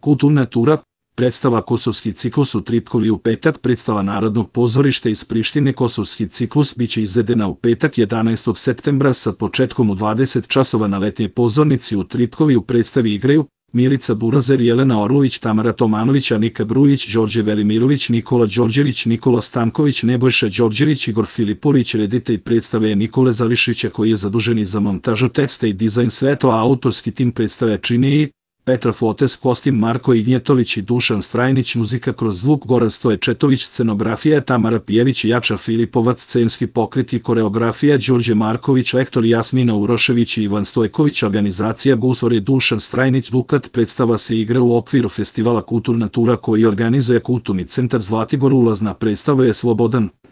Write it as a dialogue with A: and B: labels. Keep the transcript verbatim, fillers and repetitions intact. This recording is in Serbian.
A: Kulturna tura, predstava Kosovski ciklus u Tripkovi u petak, predstava Narodnog pozorišta iz Prištine Kosovski ciklus biće izvedena u petak jedanaestog septembra sa početkom u dvadeset časova na letnjoj pozornici u Tripkovi. U predstavi igraju Milica Burazer, Jelena Orlović, Tamara Tomanović, Anika Brujić, Đorđe Velimirović, Nikola Đorđević, Nikola Stanković, Nebojša Đorđević, Igor Filipović. Reditelj predstave je Nikole Zališića koji je zadužen i za montažu teksta i dizajn sve to, a autorski tim predstave čine i Petra Fotes, kostim Marko Ignjetović i Dušan Strajnić, muzika kroz zvuk Goran Stoječetović, scenografija Tamara Pijević i Jača Filipovac, scenski pokret i koreografija Đorđe Marković, lektor Jasmina Urošević i Ivan Stojković, organizacija Gusor i Dušan Strajnić. Dukat predstava se igra u okviru festivala Kulturna tura koji organizuje Kulturni centar Zlatibor. Ulazna predstava je slobodan.